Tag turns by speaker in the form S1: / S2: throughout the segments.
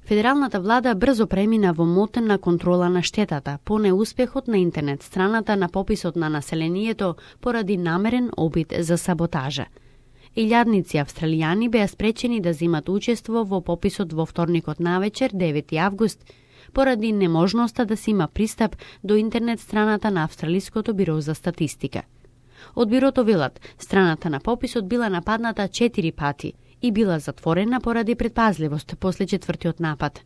S1: Федералната влада брзо премина во мотена контрола на штетата по неуспехот на интернет страната на пописот на населението поради намерен обид за саботажа. Илјадници австралијани беа спречени да земат учество во пописот во вторникот навечер, 9 август, поради неможноста да се има пристап до интернет страната на Австралиското биро за статистика. Од бирото велат, страната на пописот била нападната 4 пати и била затворена поради предпазливост после четвртиот напад.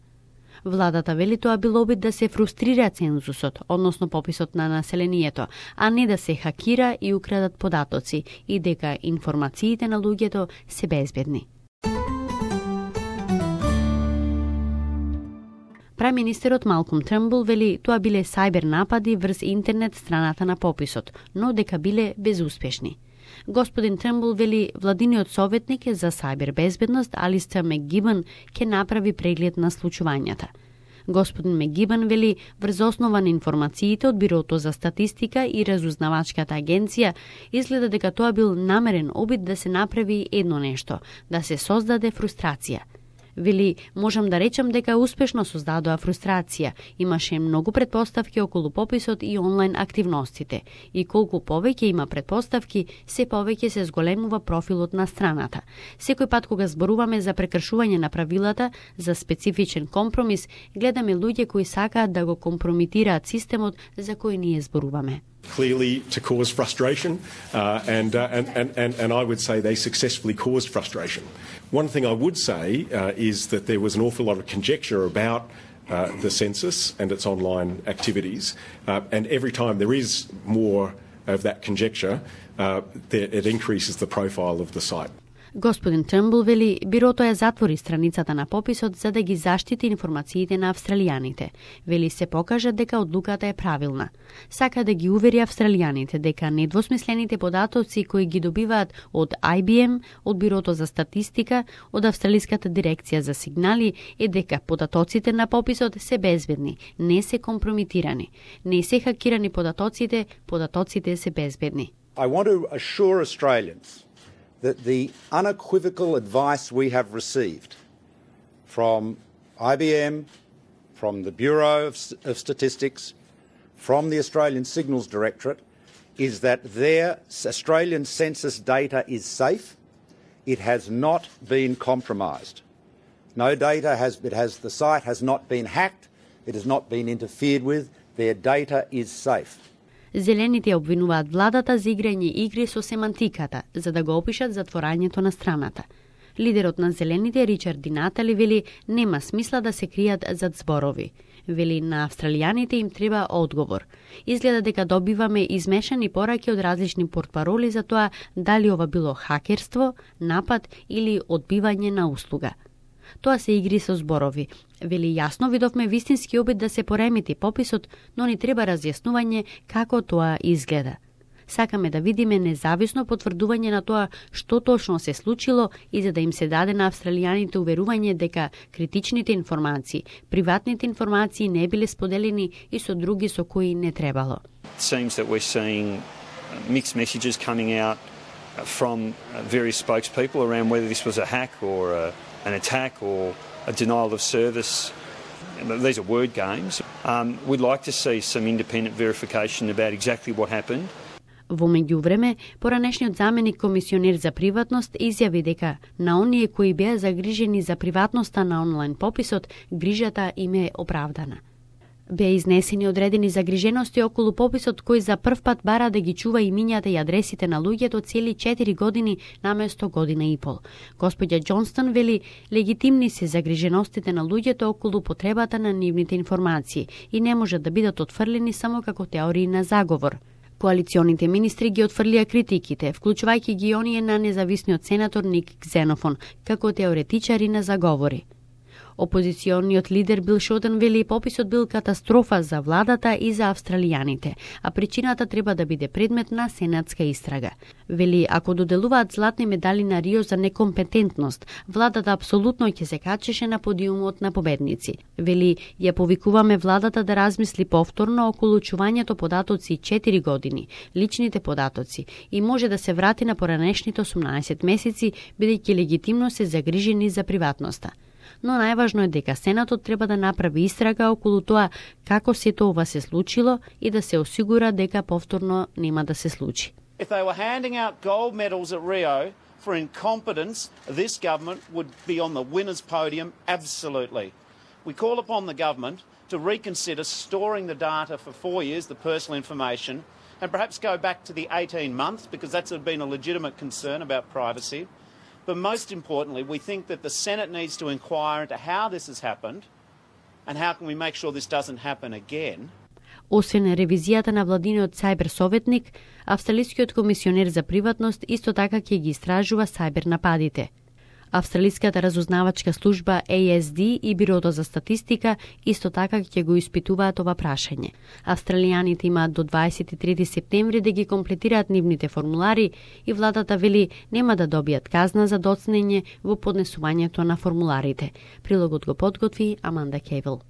S1: Владата вели тоа бил обид да се фрустрира цензусот, односно пописот на населението, а не да се хакира и украдат податоци и дека информациите на луѓето се безбедни. Преминистерот Малком Трнбул вели тоа биле сајбер напади врз интернет страната на пописот, но дека биле безуспешни. Господин Трнбул вели владиниот советник за сајбер безбедност Алистер Мекгибен ќе направи преглед на случувањата. Господин Мекгибен вели врз основа на информациите од Бирото за статистика и разузнавачката агенција изгледа дека тоа бил намерен обид да се направи едно нешто, да се создаде фрустрација. Вели, можам да речам дека успешно создадоа фрустрација. Имаше многу предпоставки околу пописот и онлайн активностите. И колку повеќе има предпоставки, се повеќе се зголемува профилот на страната. Секој пат кога зборуваме за прекршување на правилата, за специфичен компромис, гледаме луѓе кои сакаат да го компромитираат системот за кој ние зборуваме.
S2: Clearly to cause frustration, and I would say they successfully caused frustration. One thing I would say is that there was an awful lot of conjecture about the census and its online activities, and every time there is more of that conjecture, it increases the profile of the site.
S1: Господин Трнбул вели, бирото ја затвори страницата на пописот за да ги заштити информациите на австралијаните. Вели се покажа дека одлуката е правилна. Сака да ги увери австралијаните дека недвосмислените податоци кои ги добиваат од IBM, од Бирото за статистика, од Австралиската дирекција за сигнали е дека податоците на пописот се безбедни, не се компромитирани. Не се хакирани податоците, податоците се безбедни.
S3: I want to assure Australians that the unequivocal advice we have received from IBM, from the Bureau of Statistics, from the Australian Signals Directorate, is that their Australian census data is safe. It has not been compromised. No data the site has not been hacked. It has not been interfered with. Their data is safe.
S1: Зелените обвинуваат владата за играње игри со семантиката, за да го опишат затворањето на страната. Лидерот на Зелените, Ричард Ди Натали, вели нема смисла да се кријат зад зборови. Вели на австралијаните им треба одговор. Изгледа дека добиваме измешани пораки од различни портпароли за тоа дали ова било хакерство, напад или одбивање на услуга. Тоа се игри со зборови. Вели јасно видовме вистински обид да се поремети пописот, но ни треба разјаснување како тоа изгледа. Сакаме да видиме независно потврдување на тоа што точно се случило и за да им се даде на австралијаните уверување дека критичните информации, приватните информации не биле споделени и со други со кои не требало.
S4: It seems that we're seeing mixed messages coming out from various spokespeople around whether this was a hack or an attack or a denial of service. These are word games. We'd like to see some independent verification about exactly what happened.
S1: Во меѓувреме, поранешниот заменик комисионер за приватност изјави дека на оние кои беа загрижени за приватноста на онлайн пописот, грижата им е оправдана. Беа изнесени одредени загрижености околу пописот кој за прв пат бара да ги чува имињата и адресите на луѓето цели 4 години наместо година и пол. Господја Џонстон вели легитимни се загриженостите на луѓето околу потребата на нивните информации и не можат да бидат отфрлени само како теории на заговор. Коалиционите министри ги отфрлија критиките, вклучувајќи ги оние на независниот сенатор Ник Ксенофон, како теоретичари на заговори. Опозициониот лидер Бил Шотен вели пописот бил катастрофа за владата и за австралијаните, а причината треба да биде предмет на сенатска истрага. Вели, ако доделуваат златни медали на Рио за некомпетентност, владата апсолутно ќе се качеше на подиумот на победници. Вели, ја повикуваме владата да размисли повторно околу чувањето податоци 4 години, личните податоци, и може да се врати на поранешните 18 месеци, бидејќи легитимно се загрижени за приватноста. но најважно е дека Сенатот треба да направи истрага околу тоа како сето ова се случило и да се осигура дека повторно нема да се случи.
S5: If they were handing out gold medals at Rio for incompetence, this government would be on the winner's podium, absolutely. We call upon the government to reconsider storing the data for 4 years, the personal information, and perhaps go back to the 18 months, because that's been a legitimate concern about privacy. But most importantly, we think that the Senate needs to inquire into how this has happened and how can we make sure this doesn't happen again.
S1: Освен ревизијата на владиниот сајбер советник, Австралискиот комисионер за приватност исто така ќе ги истражува сајбер нападите. Австралиската разузнавачка служба ASD и Бирото за статистика исто така ќе го испитуваат ова прашање. Австралијаните имаат до 23 септември да ги комплетираат нивните формулари и владата вели нема да добијат казна за доцнење во поднесувањето на формуларите. Прилогот го подготви Аманда Кейвел.